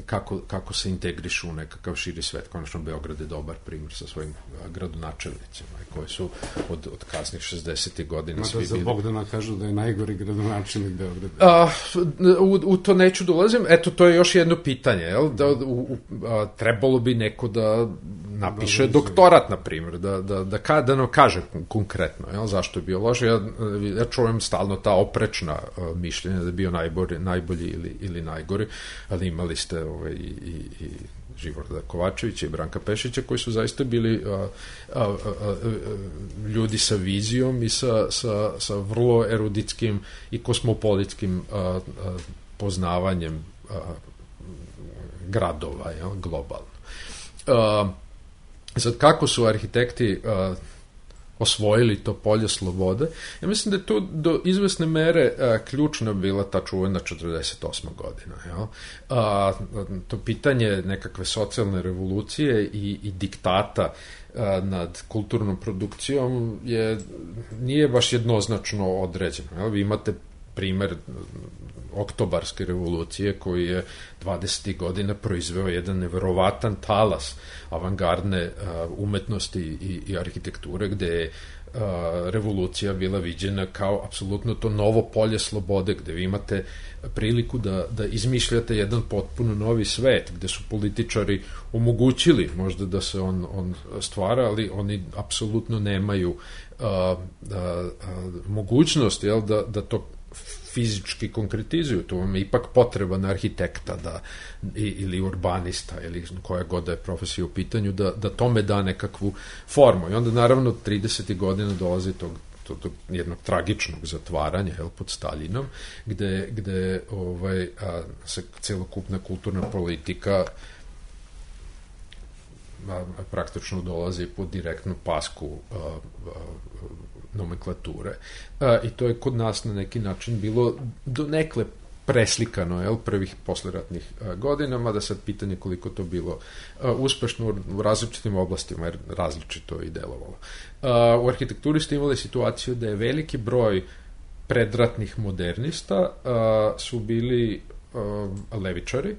Kako, kako se integrišu u nekakav širi svet. Konačno, Beograd je dobar primjer sa svojim gradonačelnicima koji su od, od kasnih šezdesetih godina Mada svi za bili... Bogdana kažu da je najgori gradonačelnik Beograda. A, u, u to neću dolazim. Eto, to je još jedno pitanje. Jel? Da, u, u, a, trebalo bi neko da napiše Dobre, doktorat, na primjer, da, da, da, ka, da nam kaže konkretno jel? Zašto je bio loš. Ja, ja čujem stalno ta oprečna a, mišljenja da je bio najbolji, najbolji ili, ili najgori, ali imali ste Ovaj, i, i, i Živorda Kovačevića i Branka Pešića koji su zaista bili a, a, a, a, ljudi sa vizijom i sa, sa, sa vrlo eruditskim i kosmopolitskim a, a, poznavanjem a, gradova jel, globalno. A, sad kako su arhitekti a, osvojili to polje slobode. Ja mislim da je tu do izvesne mere a, ključna bila ta čuvena četrdeset osma godina. Jel? A, to pitanje nekakve socijalne revolucije i, i diktata a, nad kulturnom produkcijom je, nije baš jednoznačno određeno. Jel? Vi imate primer oktobarske revolucije koji je dvadesetih godina proizveo jedan neverovatan talas avangardne uh, umetnosti i, i arhitekture gde je uh, revolucija bila viđena kao apsolutno to novo polje slobode gde vi imate priliku da, da izmišljate jedan potpuno novi svet gde su političari omogućili možda da se on, on stvara, ali oni apsolutno nemaju uh, uh, uh, mogućnost jel, da, da to fizički konkretizuju, to vam je ipak potreban arhitekta da, ili urbanista ili koja god da je profesija u pitanju da, da tome da nekakvu formu. I onda naravno tridesetih godina dolazi tog, tog, tog jednog tragičnog zatvaranja jel, pod Staljinom gde, gde ovaj, a, se celokupna kulturna politika a, praktično dolazi pod direktnu pasku a, a, nomenklature. A, I to je kod nas na neki način bilo donekle preslikano, jel, prvih posleratnih a, godina, mada sad pitanje koliko to bilo a, uspešno u, u različitim oblastima, jer različito i delovalo. A, u arhitekturi ste imali situaciju da je veliki broj predratnih modernista a, su bili a, levičari,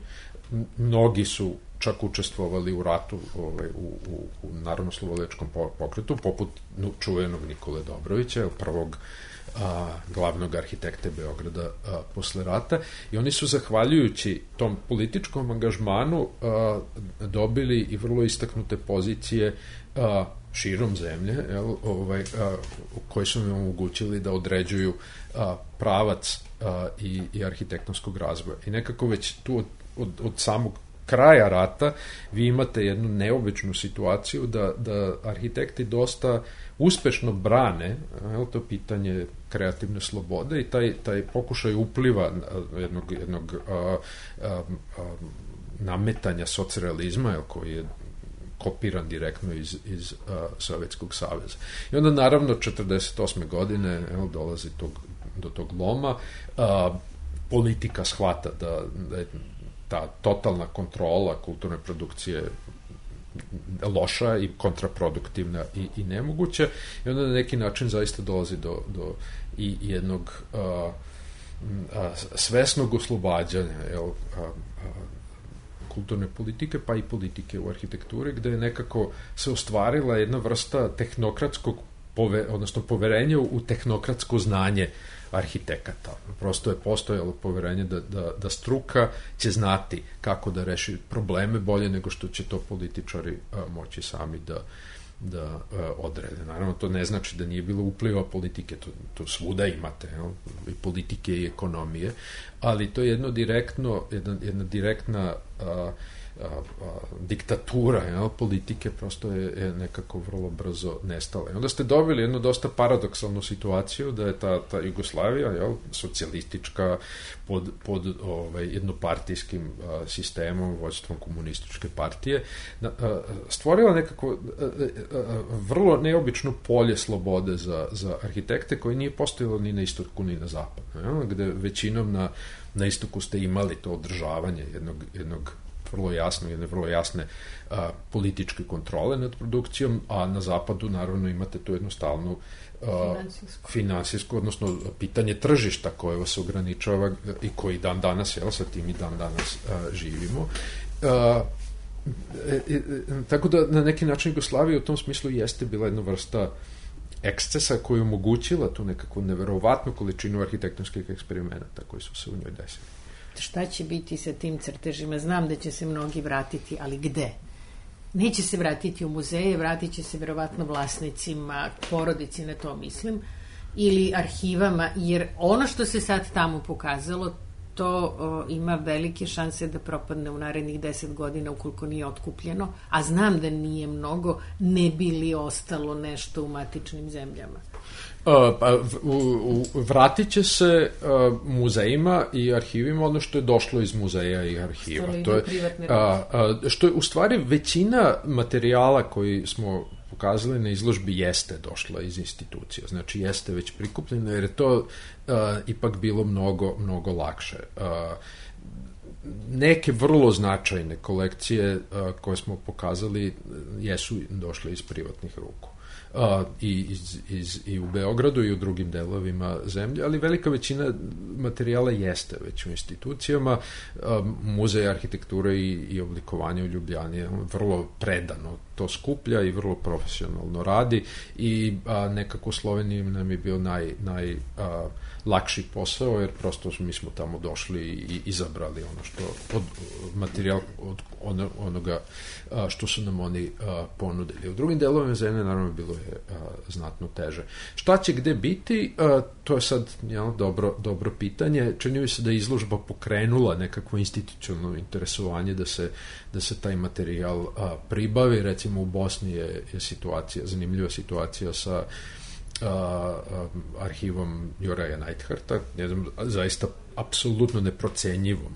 mnogi su čak učestvovali u ratu ovaj, u, u, u narodno-slobodilačkom pokretu, poput čuvenog Nikole Dobrovića, prvog a, glavnog arhitekte Beograda a, posle rata, i oni su zahvaljujući tom političkom angažmanu a, dobili i vrlo istaknute pozicije a, širom zemlje, jel, ovaj, a, koji su im omogućili da određuju a, pravac a, i, i arhitektonskog razvoja. I nekako već tu od, od, od samog kraja rata vi imate jednu neobičnu situaciju da, da arhitekti dosta uspešno brane jel, to pitanje kreativne slobode i taj, taj pokušaj upliva jednog, jednog a, a, a, nametanja socrealizma jel, koji je kopiran direktno iz, iz a, Sovjetskog saveza. I onda naravno četrdeset osme godine jel, dolazi tog, do tog loma, a, politika shvata da, da je ta totalna kontrola kulturne produkcije loša i kontraproduktivna i, i nemoguća, i onda na neki način zaista dolazi do, do i jednog a, a, svesnog oslobađanja jel, a, a, kulturne politike, pa i politike u arhitekturi, gde je nekako se ostvarila jedna vrsta tehnokratskog pove, odnosno poverenje u tehnokratsko znanje arhitekata. Prosto je postojalo poverenje da, da, da struka će znati kako da reši probleme bolje nego što će to političari a, moći sami da, da a, odrede. Naravno, to ne znači da nije bilo upliva politike, to, to svuda imate, jel? I politike i ekonomije, ali to je jedno direktno, jedna, jedna direktna a, A, a, diktatura, jel, politike prosto je, je nekako vrlo brzo nestala. I onda ste dobili jednu dosta paradoksalnu situaciju da je ta, ta Jugoslavija, jel, socijalistička pod, pod ovaj, jednopartijskim a, sistemom, vođstvom komunističke partije, a, a, stvorila nekako a, a, vrlo neobično polje slobode za, za arhitekte koje nije postojalo ni na istoku ni na zapadu, jel, gde većinom na, na istoku ste imali to održavanje jednog, jednog vrlo jasno, jedne vrlo jasne a, političke kontrole nad produkcijom, a na zapadu naravno imate tu jednostavnu a, finansijsku, odnosno pitanje tržišta koje vas ograničava i koji dan danas, jel, sa tim i dan danas a, živimo. A, e, e, tako da na neki način Jugoslavija u tom smislu jeste bila jedna vrsta ekscesa koja je omogućila tu nekakvu neverovatnu količinu arhitektonskih eksperimenata koji su se u njoj desili. Šta će biti sa tim crtežima? Znam da će se mnogi vratiti, ali gde? Neće se vratiti u muzeje, vratit će se verovatno vlasnicima, porodici, na to mislim, ili arhivama, jer ono što se sad tamo pokazalo, to o, ima velike šanse da propadne u narednih deset godina ukoliko nije otkupljeno, a znam da nije mnogo, ne bi li ostalo nešto u matičnim zemljama. Uh, pa, u, u, vratit će se uh, muzejima i arhivima ono što je došlo iz muzeja i arhiva. To je, uh, uh, što je u stvari većina materijala koji smo pokazali na izložbi jeste došla iz institucija, znači jeste već prikupljeno, jer je to uh, ipak bilo mnogo, mnogo lakše. Uh, neke vrlo značajne kolekcije uh, koje smo pokazali jesu došle iz privatnih ruku. Uh, i, iz, iz, i u Beogradu i u drugim delovima zemlje, ali velika većina materijala jeste već u institucijama. Uh, Muzej arhitekture i, i oblikovanja u Ljubljani je vrlo predano to skuplja i vrlo profesionalno radi i a, nekako u Sloveniji nam je bio naj, naj a, lakši posao, jer prosto mi smo tamo došli i izabrali ono što od materijal od ono, onoga a, što su nam oni a, ponudili. U drugim delovima zemlje naravno bilo je a, znatno teže. Šta će gde biti? A, to je sad jel, dobro, dobro pitanje. Čini mi se da je izložba pokrenula nekakvo institucionalno interesovanje da se, da se taj materijal a, pribavi. Recimo u Bosni je, je situacija, zanimljiva situacija sa a, a, arhivom Juraja Neidharta, jednom zaista apsolutno neprocenjivom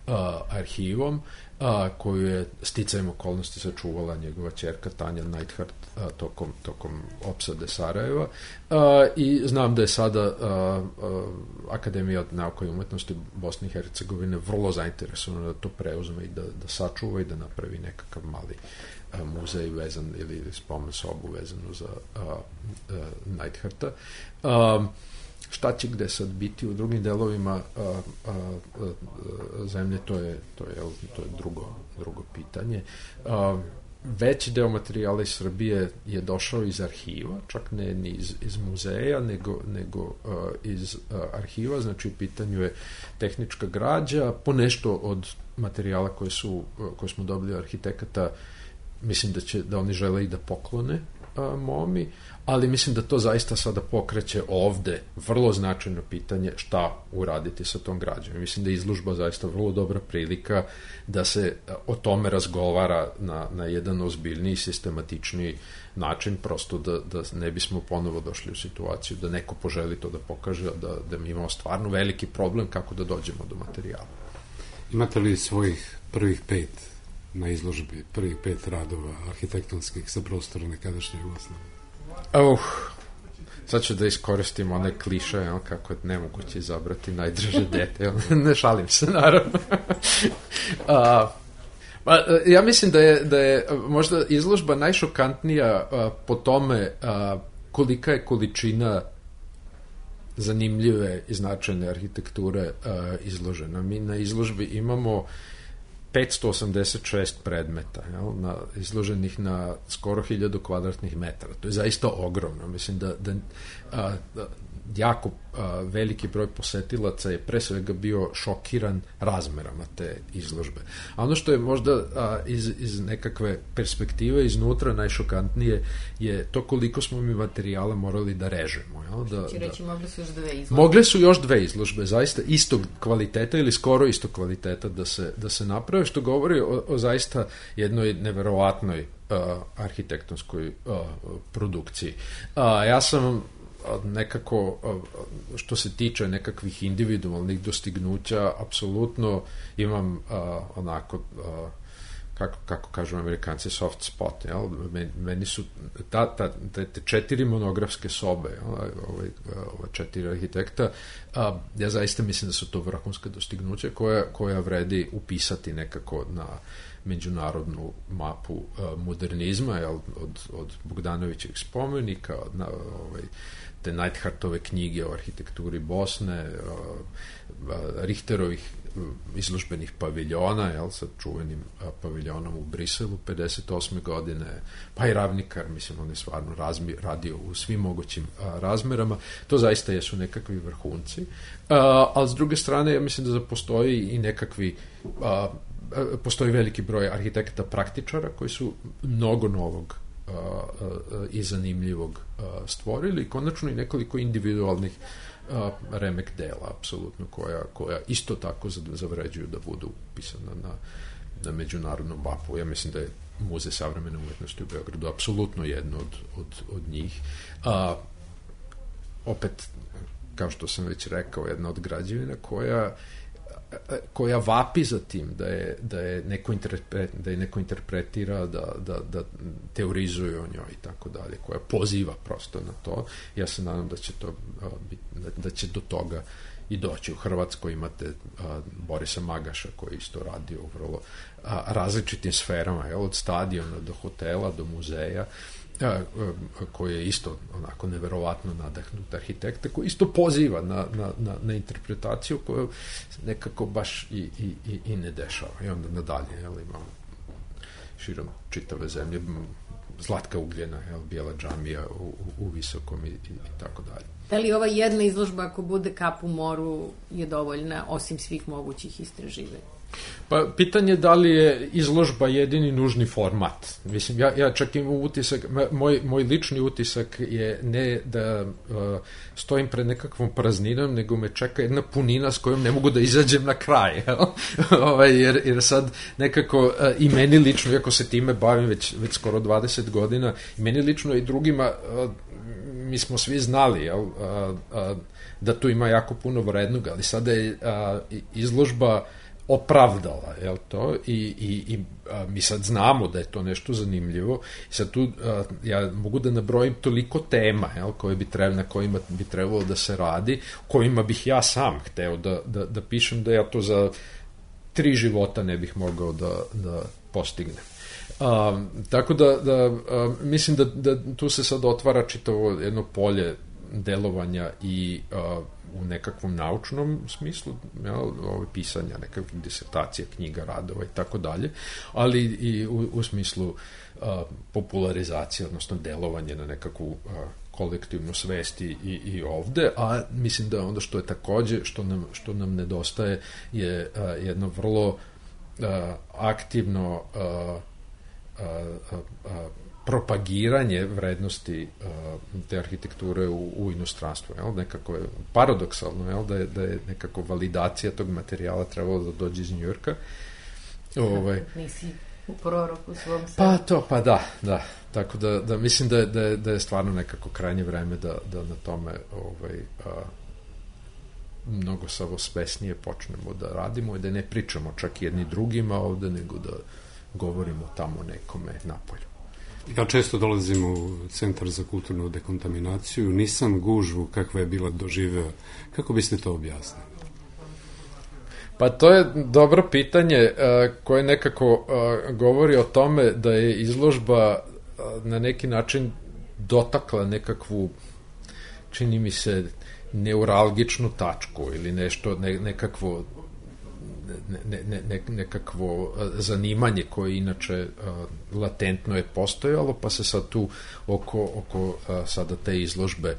a, arhivom, a, koju je sticajem okolnosti sačuvala njegova ćerka Tanja Neidhart a, tokom, tokom opsade Sarajeva. A, I znam da je sada a, a, Akademija nauka i umetnosti Bosne i Hercegovine vrlo zainteresovana da to preuzme i da, da sačuva i da napravi nekakav mali a, muzej vezan ili spomen sobu vezanu za a, a, Neidharta. A, šta će gde sad biti u drugim delovima a, a, a, zemlje, to je, to je, to je drugo, drugo pitanje. A, veći deo materijala iz Srbije je došao iz arhiva, čak ne ni iz, iz muzeja, nego, nego a, iz a, arhiva, znači u pitanju je tehnička građa, po nešto od materijala koje, su, koje smo dobili arhitekata, mislim da će da oni žele i da poklone a, momi, ali mislim da to zaista sada pokreće ovde vrlo značajno pitanje šta uraditi sa tom građom. Mislim da je izložba zaista vrlo dobra prilika da se o tome razgovara na, na jedan ozbiljniji, sistematičniji način, prosto da, da ne bismo ponovo došli u situaciju da neko poželi to da pokaže, da, da mi imamo stvarno veliki problem kako da dođemo do materijala. Imate li svojih prvih pet na izložbi, prvih pet radova arhitektonskih sa prostora nekadašnje Jugoslavije? Uh, sad ću da iskoristim one kliše, jel, kako je nemoguće izabrati najdrže dete, jel, ne šalim se, naravno. uh, pa, ja mislim da je, da je možda izložba najšokantnija uh, po tome uh, kolika je količina zanimljive i značajne arhitekture uh, izložena. Mi na izložbi imamo petsto osamdeset šest predmeta, jel, na, izloženih na skoro hiljadu kvadratnih metara. To je zaista ogromno. Mislim da, da, a, da jako a, veliki broj posetilaca je pre svega bio šokiran razmerama te izložbe. A ono što je možda a, iz, iz nekakve perspektive iznutra najšokantnije je to koliko smo mi materijala morali da režemo. Jel? Da, Či reći, da, mogle su još dve izložbe. Mogle su još dve izložbe, zaista istog kvaliteta ili skoro istog kvaliteta da se, da se naprave, što govori o, o zaista jednoj neverovatnoj uh, arhitektonskoj uh, produkciji. Uh, ja sam nekako, što se tiče nekakvih individualnih dostignuća, apsolutno imam uh, onako, uh, kako, kako kažu Amerikanci, soft spot, jel? Meni su ta, ta, te, te četiri monografske sobe, jel? Ove, ove četiri arhitekta, a, ja zaista mislim da su to vrhunska dostignuća koja, koja vredi upisati nekako na međunarodnu mapu a, modernizma, jel? Od, od Bogdanovićeg spomenika, od na, ovaj, te Neidhartove knjige o arhitekturi Bosne, a, a, Richterovih izložbenih paviljona, jel, sa čuvenim a, paviljonom u Briselu pedeset osme godine, pa i Ravnikar, mislim, on je stvarno razmi, radio u svim mogućim a, razmerama. To zaista jesu nekakvi vrhunci. A, ali s druge strane, ja mislim da postoji i nekakvi a, postoji veliki broj arhitekata praktičara koji su mnogo novog a, a, i zanimljivog a, stvorili, konačno i nekoliko individualnih a, remek dela, apsolutno, koja, koja isto tako zavređuju da budu upisana na, na međunarodnom mapu. Ja mislim da je Muzej savremene umetnosti u Beogradu apsolutno jedno od, od, od njih. A, opet, kao što sam već rekao, jedna od građevina koja koja vapi za tim da je, da je, neko, interpre, da je neko interpretira, da, da, da teorizuje o njoj i tako dalje, koja poziva prosto na to. Ja se nadam da će, to, da, da će do toga i doći. U Hrvatskoj imate a, Borisa Magaša koji isto radi u vrlo a, različitim sferama, jel, od stadiona do hotela, do muzeja, a, koji je isto onako neverovatno nadahnut arhitekta, koji isto poziva na, na, na, na interpretaciju koju nekako baš i, i, i, i ne dešava. I onda nadalje, jel, imamo širom čitave zemlje Zlatka Ugljena, jel, Bijela džamija u, u, u Visokom i, i, i tako dalje. Da li ova jedna izložba, ako bude kap u moru, je dovoljna osim svih mogućih istraživanja? Pa, pitanje da li je izložba jedini nužni format. Mislim, ja, ja čak imam utisak, moj, moj lični utisak je ne da uh, stojim pred nekakvom prazninom, nego me čeka jedna punina s kojom ne mogu da izađem na kraj. ovaj, jer, jer sad nekako uh, i meni lično, iako se time bavim već, već skoro dvadeset godina, i meni lično i drugima, uh, mi smo svi znali, jel, uh, uh, da tu ima jako puno vrednog, ali sada je uh, izložba opravdala, jel to, i, i, i a, mi sad znamo da je to nešto zanimljivo i sad tu a, ja mogu da nabrojim toliko tema, jel, koje bi trebalo, na kojima bi trebalo da se radi, kojima bih ja sam hteo da, da, da pišem, da ja to za tri života ne bih mogao da, da postignem. A, tako da, da a, mislim da, da tu se sad otvara čitavo jedno polje delovanja i a, u nekakvom naučnom smislu, ja, ove pisanja nekakvih disertacija, knjiga, radova i tako dalje, ali i u, u smislu a, popularizacije, odnosno delovanje na nekakvu a, kolektivnu svest i, i ovde, a mislim da onda što je takođe, što nam, što nam nedostaje je a, jedno vrlo a, aktivno a, a, a, a, propagiranje vrednosti uh, te arhitekture u, u inostranstvu. Jel? Nekako je paradoksalno, jel? Da, je, da je nekako validacija tog materijala trebalo da dođe iz Njujorka. Ovaj, Nisi u proroku svom sebi. Pa to, pa da, da. Tako da, da mislim da je, da, je, da je stvarno nekako krajnje vreme da, da na tome ovaj, a, mnogo savosvesnije počnemo da radimo i da ne pričamo čak jedni drugima ovde, nego da govorimo tamo nekome napolju. Ja često dolazim u Centar za kulturnu dekontaminaciju, nisam gužvu kakva je bila doživeo. Kako biste to objasnili? Pa to je dobro pitanje uh, koje nekako uh, govori o tome da je izložba uh, na neki način dotakla nekakvu, čini mi se, neuralgičnu tačku ili nešto, ne, nekakvo ne, ne, ne, nekakvo zanimanje koje inače latentno je postojalo, pa se sad tu oko, oko sada te izložbe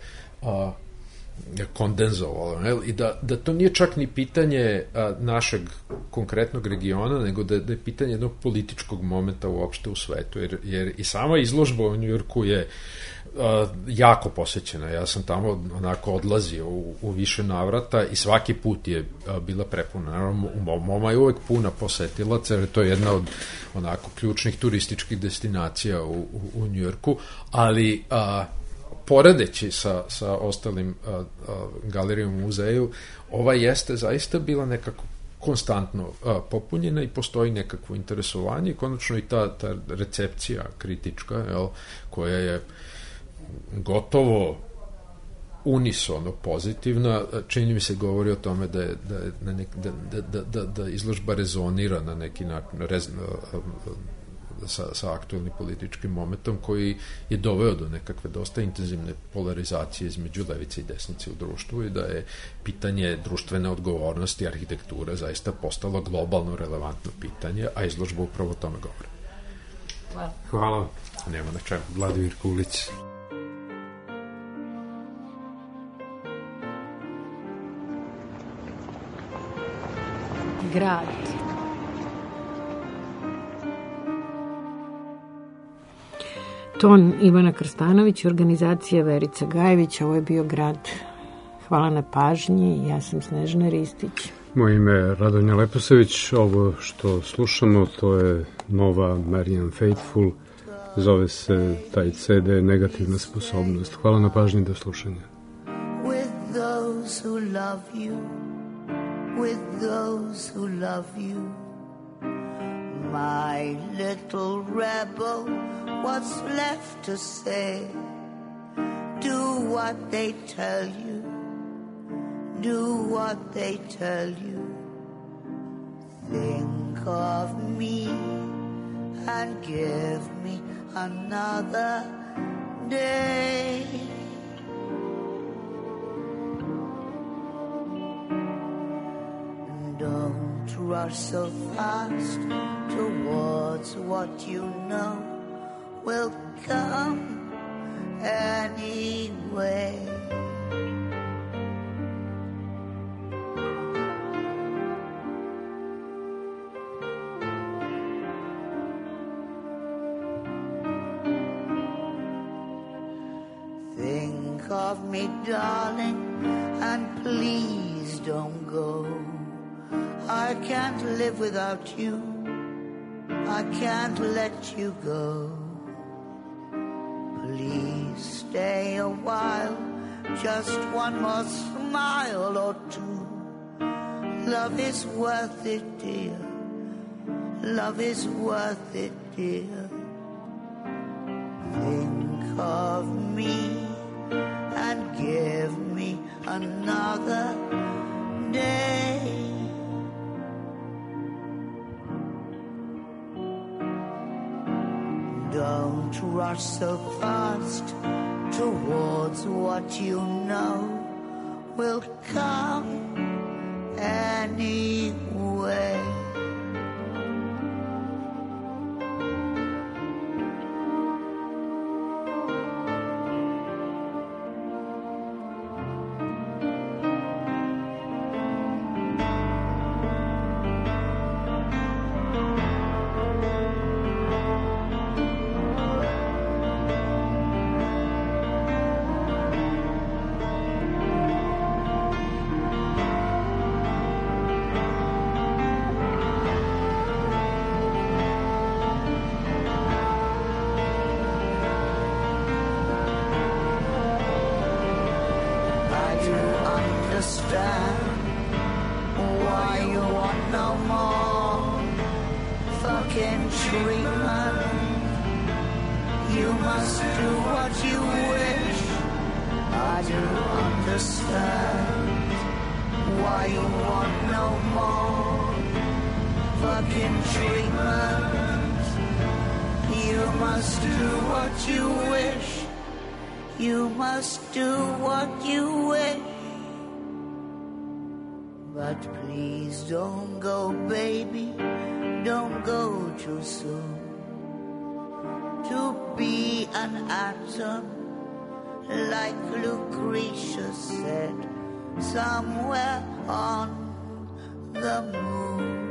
kondenzovalo, ne? I da, da to nije čak ni pitanje a, našeg konkretnog regiona, nego da, da je pitanje jednog političkog momenta uopšte u svetu, jer, jer i sama izložba u Njujorku je a, jako posećena. Ja sam tamo onako odlazio u, u više navrata i svaki put je a, bila prepuna. Naravno, u Moma je uvek puna posetilaca, jer to je jedna od onako ključnih turističkih destinacija u, u, u Njujorku, ali a, poredeći sa, sa ostalim a, a, galerijom u muzeju, ova jeste zaista bila nekako konstantno a, popunjena i postoji nekakvo interesovanje i konačno i ta, ta recepcija kritička, jel, koja je gotovo unisono pozitivna, čini mi se govori o tome da je, da, je na nek, da, da, da, da izložba rezonira na neki način, rez, Sa, sa aktuelnim političkim momentom koji je doveo do nekakve dosta intenzivne polarizacije između levice i desnice u društvu i da je pitanje društvene odgovornosti arhitekture zaista postalo globalno relevantno pitanje, a izložba upravo o tome govori. Hvala. Hvala. Nema na čemu. Vladimir Kulić. Grad. Ton Ivana Krstanović, organizacija Verica Gajević, ovo je bio Grad. Hvala na pažnji, ja sam Snežana Ristić. Moje ime je Radonja Leposević, ovo što slušamo to je nova Marianne Faithfull, zove se taj ce de Negativna sposobnost. Hvala na pažnji, do slušanja. With those who love you, with those who love you, my little rebel, what's left to say? Do what they tell you, do what they tell you. Think of me and give me another day. Don't rush so fast towards what you know will come anyway. Think of me, darling, and please don't go. I can't live without you, I can't let you go. Please stay a while, just one more smile or two. Love is worth it, dear, love is worth it, dear. Think of me and give me another day. Don't rush so fast towards what you know will come anyway. But please don't go, baby, don't go too soon. To be an atom, like Lucretia said, somewhere on the moon.